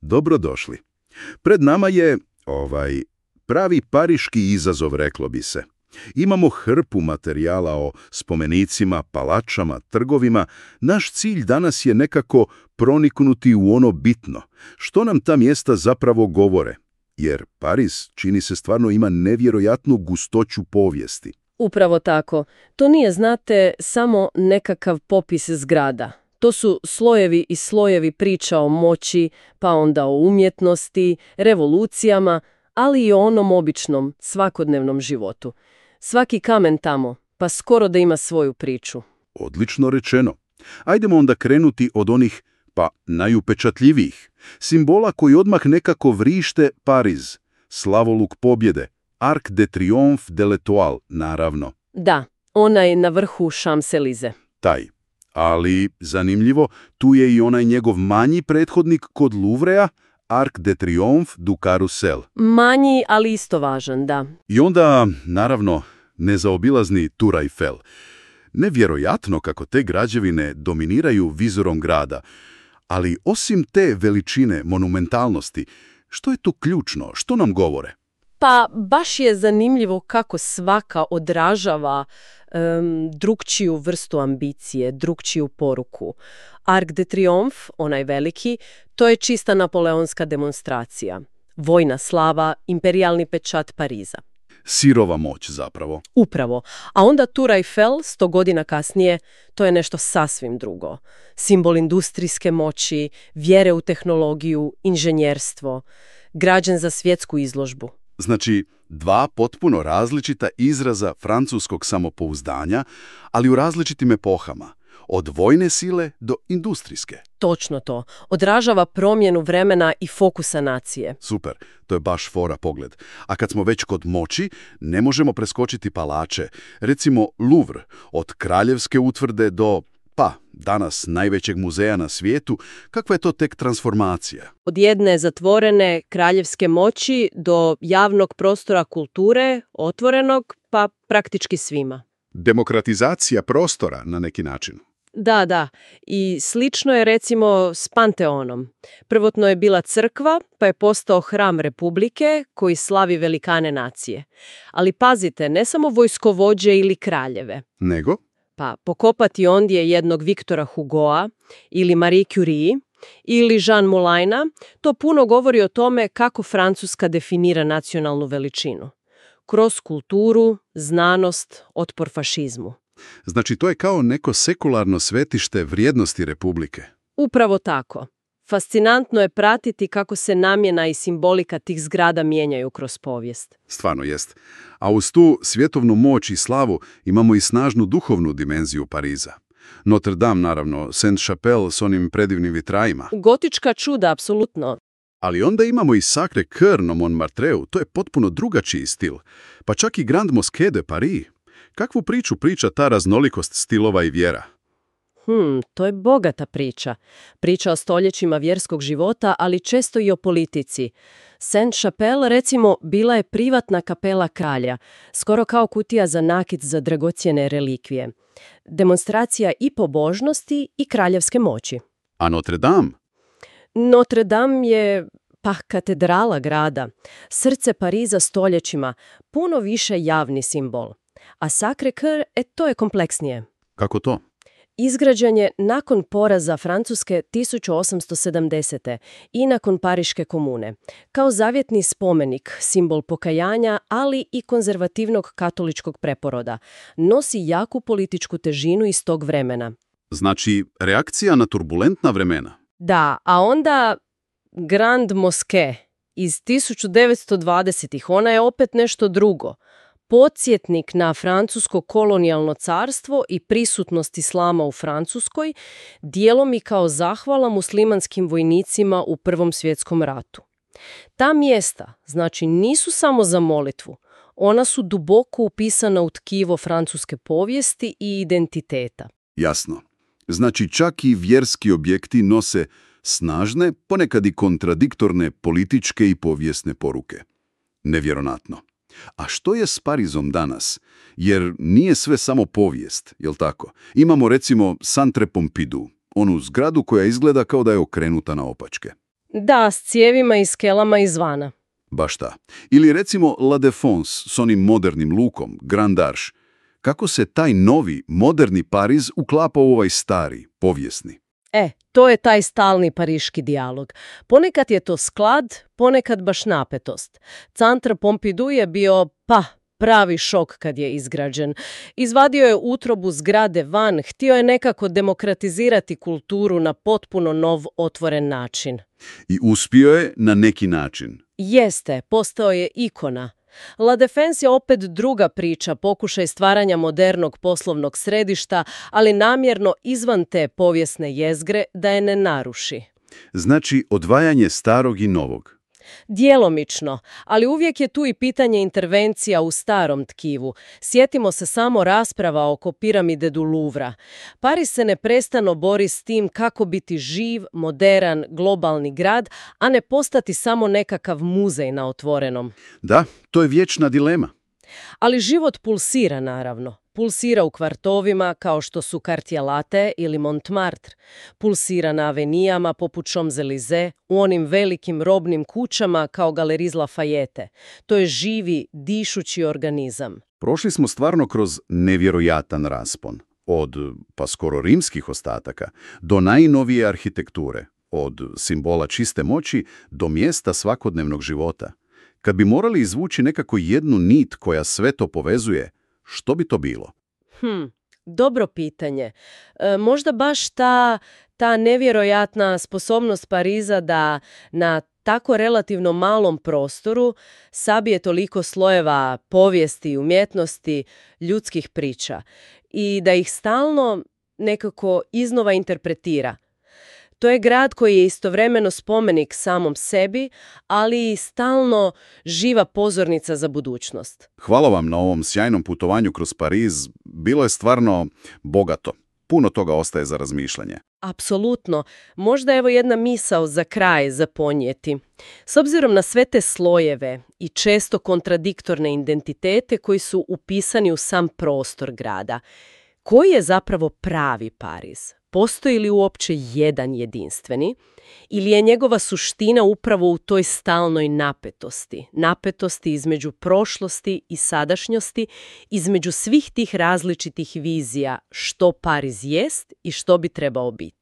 Dobrodošli. Pred nama je, pravi pariški izazov, reklo bi se. Imamo hrpu materijala o spomenicima, palačama, trgovima. Naš cilj danas je nekako proniknuti u ono bitno. Što nam ta mjesta zapravo govore? Jer Pariz, čini se, stvarno ima nevjerojatnu gustoću povijesti. Upravo tako. To nije, znate, samo nekakav popis zgrada. To su slojevi i slojevi priča o moći, pa onda o umjetnosti, revolucijama, ali i o onom običnom, svakodnevnom životu. Svaki kamen tamo, pa skoro da ima svoju priču. Odlično rečeno. Ajdemo onda krenuti od onih, najupečatljivijih, simbola koji odmah nekako vrište Pariz, slavoluk pobjede, Arc de Triomphe de l'Étoile, naravno. Da, onaj na vrhu Champs-Élysées. Taj. Ali, zanimljivo, tu je i onaj njegov manji prethodnik kod Louvrea, Arc de Triomphe du Carrousel. Manji, ali isto važan, da. I onda, naravno, nezaobilazni Tour Eiffel. Nevjerojatno kako te građevine dominiraju vizorom grada. Ali osim te veličine, monumentalnosti, što je tu ključno? Što nam govore? Pa baš je zanimljivo kako svaka odražava drugčiju vrstu ambicije, drugčiju poruku. Arc de Triomphe, onaj veliki, to je čista napoleonska demonstracija. Vojna slava, imperijalni pečat Pariza. Sirova moć zapravo. Upravo. A onda Tour Eiffel, 100 godina kasnije, to je nešto sasvim drugo. Simbol industrijske moći, vjere u tehnologiju, inženjerstvo, građen za svjetsku izložbu. Znači, dva potpuno različita izraza francuskog samopouzdanja, ali u različitim epohama. Od vojne sile do industrijske. Točno to. Odražava promjenu vremena i fokusa nacije. Super, to je baš fora pogled. A kad smo već kod moći, ne možemo preskočiti palače. Recimo Louvre, od kraljevske utvrde do, danas najvećeg muzeja na svijetu. Kakva je to tek transformacija? Od jedne zatvorene kraljevske moći do javnog prostora kulture, otvorenog, pa praktički svima. Demokratizacija prostora na neki način. Da. I slično je recimo s Panteonom. Prvotno je bila crkva, pa je postao hram Republike koji slavi velikane nacije. Ali pazite, ne samo vojskovođe ili kraljeve. Nego? Pa pokopati ondje jednog Viktora Hugoa ili Marie Curie ili Jean Moulina, to puno govori o tome kako Francuska definira nacionalnu veličinu. Kroz kulturu, znanost, otpor fašizmu. Znači, to je kao neko sekularno svetište vrijednosti Republike. Upravo tako. Fascinantno je pratiti kako se namjena i simbolika tih zgrada mijenjaju kroz povijest. Stvarno jest. A uz tu svjetovnu moć i slavu imamo i snažnu duhovnu dimenziju Pariza. Notre Dame, naravno, Saint-Chapelle s onim predivnim vitrajima. Gotička čuda, apsolutno. Ali onda imamo i Sacré-Cœur na Montmartreu, to je potpuno drugačiji stil. Pa čak i Grand Mosquée de Paris. Kakvu priču priča ta raznolikost stilova i vjera? To je bogata priča. Priča o stoljećima vjerskog života, ali često i o politici. Saint-Chapelle, recimo, bila je privatna kapela kralja, skoro kao kutija za nakit za dragocjene relikvije. Demonstracija i pobožnosti i kraljevske moći. A Notre Dame? Notre Dame je katedrala grada, srce Pariza stoljećima, puno više javni simbol. A Sacré-Cœur, to je kompleksnije. Kako to? Izgrađen je nakon poraza Francuske 1870. i nakon Pariške komune. Kao zavjetni spomenik, simbol pokajanja, ali i konzervativnog katoličkog preporoda. Nosi jaku političku težinu iz tog vremena. Znači, reakcija na turbulentna vremena. Da, a onda Grand Mosquée iz 1920-ih, ona je opet nešto drugo. Podsjetnik na francusko kolonijalno carstvo i prisutnost islama u Francuskoj, dijelom i kao zahvala muslimanskim vojnicima u Prvom svjetskom ratu. Ta mjesta, znači, nisu samo za molitvu, ona su duboko upisana u tkivo francuske povijesti i identiteta. Jasno. Znači, čak i vjerski objekti nose snažne, ponekad i kontradiktorne političke i povijesne poruke. Nevjerovatno. A što je s Parizom danas? Jer nije sve samo povijest, jel tako? Imamo recimo Centre Pompidou, onu zgradu koja izgleda kao da je okrenuta naopačke. Da, s cijevima i skelama izvana. Baš ta. Ili recimo La Défense s onim modernim lukom, Grand Arche. Kako se taj novi, moderni Pariz uklapa u ovaj stari, povijesni? To je taj stalni pariški dijalog. Ponekad je to sklad, ponekad baš napetost. Centar Pompidou je bio, pravi šok kad je izgrađen. Izvadio je utrobu zgrade van, htio je nekako demokratizirati kulturu na potpuno nov, otvoren način. I uspio je na neki način. Jeste, postao je ikona. La Défense je opet druga priča, pokušaj stvaranja modernog poslovnog središta, ali namjerno izvan te povijesne jezgre da je ne naruši. Znači, odvajanje starog i novog. Djelomično, ali uvijek je tu i pitanje intervencija u starom tkivu. Sjetimo se samo rasprava oko piramide du Louvra. Pariz se neprestano bori s tim kako biti živ, moderan, globalni grad, a ne postati samo nekakav muzej na otvorenom. Da, to je vječna dilema. Ali život pulsira, naravno. Pulsira u kvartovima kao što su Quartier Latin ili Montmartre. Pulsira na avenijama poput Champs-Élysées, u onim velikim robnim kućama kao Galeries Lafayette. To je živi, dišući organizam. Prošli smo stvarno kroz nevjerojatan raspon. Od, skoro rimskih ostataka, do najnovije arhitekture. Od simbola čiste moći do mjesta svakodnevnog života. Kad bi morali izvući nekako jednu nit koja sve to povezuje, što bi to bilo? Dobro pitanje. Možda baš ta nevjerojatna sposobnost Pariza da na tako relativno malom prostoru sabije toliko slojeva povijesti, umjetnosti, ljudskih priča i da ih stalno nekako iznova interpretira. To je grad koji je istovremeno spomenik samom sebi, ali i stalno živa pozornica za budućnost. Hvala vam na ovom sjajnom putovanju kroz Pariz. Bilo je stvarno bogato. Puno toga ostaje za razmišljanje. Apsolutno. Možda evo jedna misao za kraj za ponijeti. S obzirom na sve te slojeve i često kontradiktorne identitete koji su upisani u sam prostor grada, koji je zapravo pravi Pariz? Postoji li uopće jedan jedinstveni ili je njegova suština upravo u toj stalnoj napetosti? Napetosti između prošlosti i sadašnjosti, između svih tih različitih vizija što Pariz jest i što bi trebao biti.